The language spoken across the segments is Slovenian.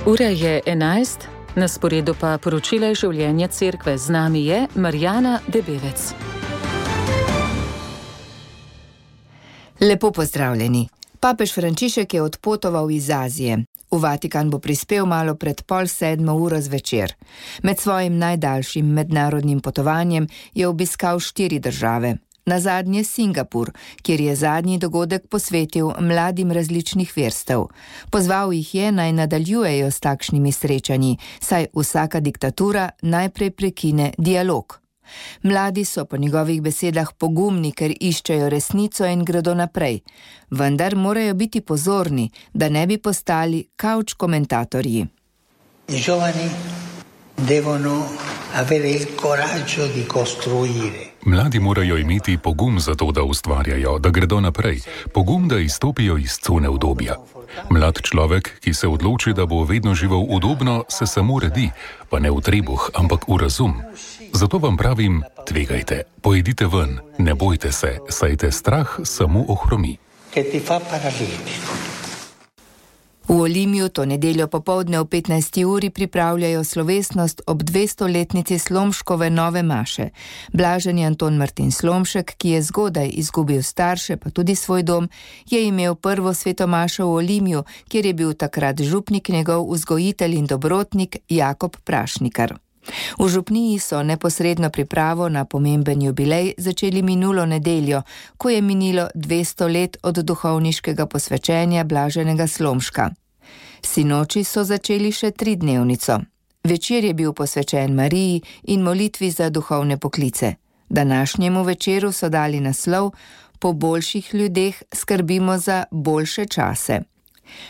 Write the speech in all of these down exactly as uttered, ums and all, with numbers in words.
Ura je enajst, na sporedu pa poročila življenja cerkve. Z nami je Marjana Debevec. Lepo pozdravljeni. Papež Frančišek je odpotoval iz Azije. V Vatikan bo prispel malo pred pol sedmo uro zvečer. Med svojim najdaljšim mednarodnim potovanjem je obiskal štiri države. Nazadnje Singapur, kjer je zadnji dogodek posvetil mladim različnih verstev. Pozval jih je, naj nadaljujejo s takšnimi srečanji, saj vsaka diktatura najprej prekine dialog. Mladi so po njegovih besedah pogumni, ker iščejo resnico in gredo naprej, vendar morajo biti pozorni, da ne bi postali kavč komentatorji. I giovani devono avere il coraggio di costruire. Mladi morajo imeti pogum za to, da ustvarjajo, da gredo naprej, pogum, da izstopijo iz cone udobja. Mlad človek, ki se odloči, da bo vedno živel udobno, se samo redi, pa ne v trebuh, ampak v razum. Zato vam pravim, tvegajte, pojdite ven, ne bojte se, saj te strah samo ohromi. Che ti fa paralitico. V Olimju to nedeljo popoldne v petnajsti uri pripravljajo slovesnost ob dvestoletnici Slomškove nove maše. Blaženi Anton Martin Slomšek, ki je zgodaj izgubil starše, pa tudi svoj dom, je imel prvo sveto mašo v Olimju, kjer je bil takrat župnik njegov vzgojitelj in dobrotnik Jakob Prašnikar. V župniji so neposredno pripravo na pomemben jubilej začeli minulo nedeljo, ko je minilo dvesto let od duhovniškega posvečenja blaženega Slomška. Sinoči so začeli še tridnevnico. Večer je bil posvečen Mariji in molitvi za duhovne poklice. Današnjemu večeru so dali naslov Po boljših ljudeh skrbimo za boljše čase.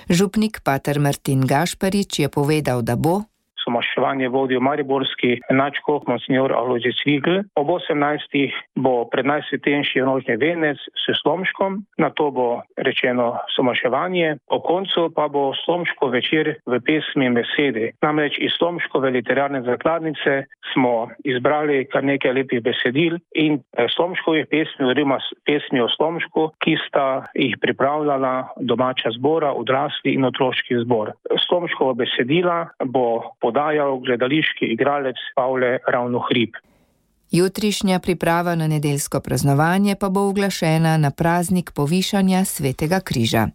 Župnik pater Martin Gašparič je povedal, da bo Maševanje vodil mariborski nadškof monsignor Alojzij Cvikl. Ob osemnajstih bo pred najsvetejši nožni venec s Slomškom, nato bo rečeno somaševanje, ob koncu pa bo Slomško večer v pesmi in besedi. Namreč iz Slomškove literarne zakladnice smo izbrali kar nekaj lepih besedil in Slomškovih pesmi, oziroma pesmi o Slomšku, ki sta jih pripravljala domača zbora, odrasli in otroški zbor. Slomškova besedila bo podajal gledališki igralec Pavle Ravnohrib. Jutrišnja priprava na nedeljsko praznovanje pa bo uglašena na praznik povišanja Svetega križa.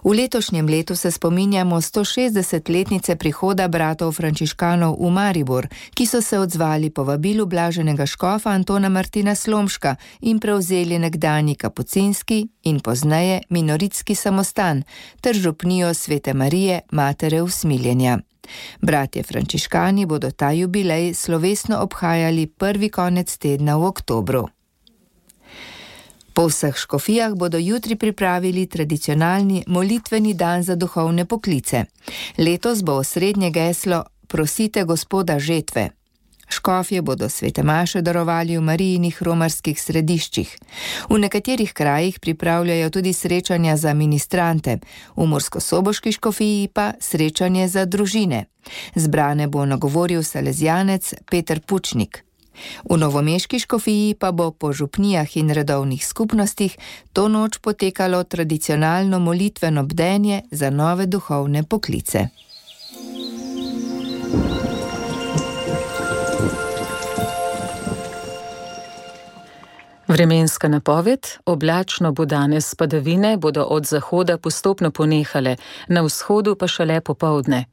V letošnjem letu se spominjamo stošestdesetletnice prihoda bratov frančiškanov v Maribor, ki so se odzvali povabilu blaženega škofa Antona Martina Slomška in prevzeli nekdanji kapucinski in pozneje minoritski samostan ter župnijo Svete Marije, matere usmiljenja. Bratje frančiškani bodo ta jubilej slovesno obhajali prvi konec tedna v oktobru. Po vseh škofijah bodo jutri pripravili tradicionalni molitveni dan za duhovne poklice. Letos bo osrednje geslo Prosite Gospoda žetve. Škofje bodo svete maše darovali v Marijinih romarskih središčih. V nekaterih krajih pripravljajo tudi srečanja za ministrante, v Murskosoboški škofiji pa srečanje za družine. Zbrane bo nagovoril salezjanec Peter Pučnik. V novomeški škofiji pa bo po župnijah in redovnih skupnostih to noč potekalo tradicionalno molitveno bdenje za nove duhovne poklice. Vremenska napoved: oblačno bo danes, padavine bodo od zahoda postopno ponehale, na vzhodu pa šele popoldne.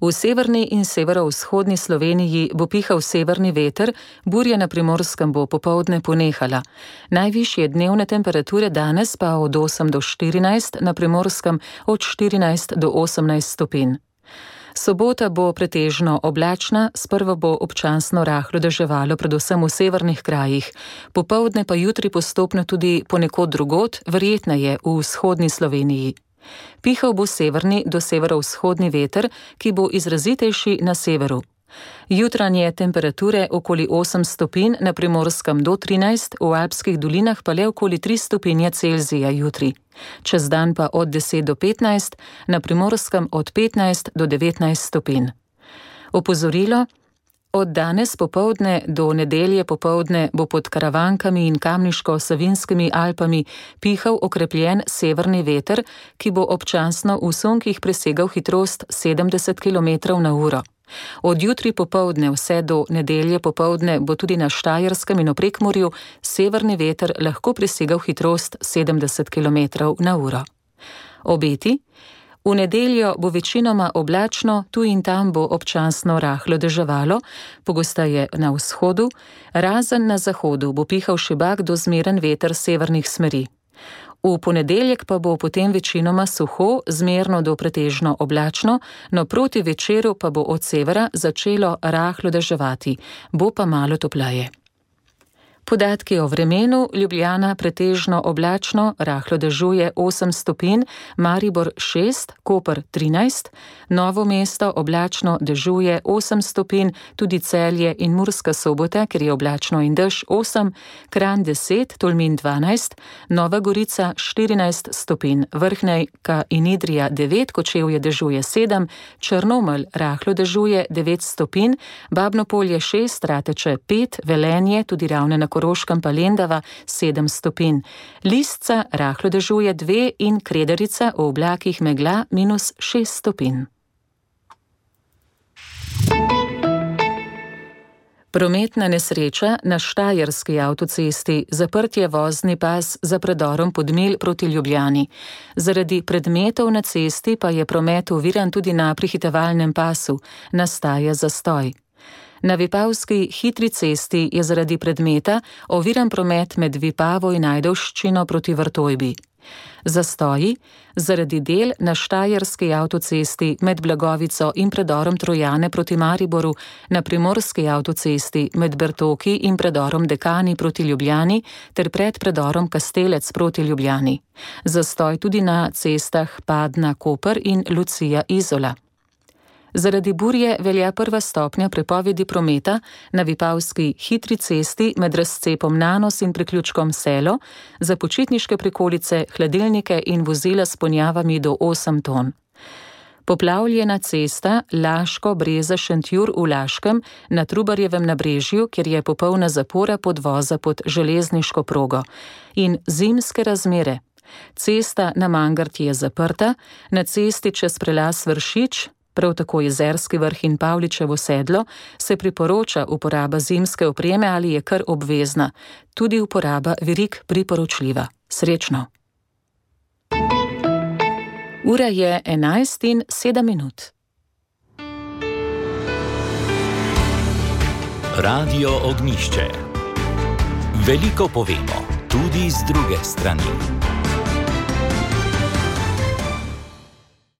V severni in severovzhodni Sloveniji bo pihal severni veter, burja na Primorskem bo popoldne ponehala. Najvišje dnevne temperature danes pa od osem do štirinajst, na Primorskem od štirinajst do osemnajst stopinj. Sobota bo pretežno oblačna, sprva bo občasno rahlo deževalo, predvsem v severnih krajih. Popoldne pa jutri postopno tudi ponekod drugod, verjetneje v vzhodni Sloveniji. Pihal bo severni do severovzhodni veter, ki bo izrazitejši na severu. Jutranje temperature okoli osem stopinj, na Primorskem do trinajst, v Alpskih dolinah pa le okoli tri stopinje Celzija jutri. Čez dan pa od deset do petnajst, na Primorskem od petnajst do devetnajst stopinj. Opozorilo: Od danes popoldne do nedelje popoldne bo pod Karavankami in Kamniško-Savinskimi Alpami pihal okrepljen severni veter, ki bo občasno v sunkih presegal hitrost sedemdeset kilometrov na uro. Od jutri popoldne vse do nedelje popoldne bo tudi na Štajerskem in v Prekmurju severni veter lahko presegal hitrost sedemdeset kilometrov na uro. Obeti: v nedeljo bo večinoma oblačno, tu in tam bo občasno rahlo deževalo, pogosteje na vzhodu, razen na zahodu bo pihal šibak do zmeren veter severnih smeri. V ponedeljek pa bo potem večinoma suho, zmerno do pretežno oblačno, no proti večeru pa bo od severa začelo rahlo deževati, bo pa malo topleje. Podatki o vremenu: Ljubljana pretežno oblačno, rahlo dežuje osem stopinj, Maribor šest, Koper trinajst, Novo mesto oblačno dežuje osem stopinj, tudi Celje in Murska Sobota, ker je oblačno in dež osem, Kranj deset, Tolmin dvanajst, Nova Gorica štirinajst stopinj, Vrhnejka in Idrija devet, Kočevje dežuje sedem, Črnomelj rahlo dežuje devet stopinj, Babnopolje šest, Rateče pet, Velenje, tudi Ravne na Koroškem pa Lendava sedem stopinj, Lisca rahlo dežuje dve in Kredarica v oblakih megla minus šest stopinj. Prometna nesreča na Štajerski avtocesti, zaprtje vozni pas za predorom Podmilj proti Ljubljani. Zaradi predmetov na cesti pa je promet oviran tudi na prehitevalnem pasu, nastaja zastoj. Na Vipavski hitri cesti je zaradi predmeta oviran promet med Vipavo in Ajdovščino proti Vrtojbi. Zastoji zaradi del na Štajerski avtocesti med Blagovico in predorom Trojane proti Mariboru, na Primorski avtocesti med Bertoki in predorom Dekani proti Ljubljani ter pred predorom Kastelec proti Ljubljani. Zastoj tudi na cestah Padna-Koper in Lucija-Izola. Zaradi burje velja prva stopnja prepovedi prometa na Vipavski hitri cesti med razcepom Nanos in priključkom Selo, za počitniške prikolice, hladilnike in vozila s ponjavami do osem ton. Poplavljena cesta Laško-Breza-Šentjur v Laškem na Trubarjevem nabrežju, kjer je popolna zapora podvoza pod železniško progo. In zimske razmere. Cesta na Mangarti je zaprta, na cesti čez prelaz Vršič, prav tako Jezerski vrh in Pavličevo sedlo, se priporoča uporaba zimske opreme ali je kar obvezna. Tudi uporaba verig priporočljiva. Srečno! Ura je enajst in sedem minut. Radio Ognjišče. Veliko povemo, tudi z druge strani.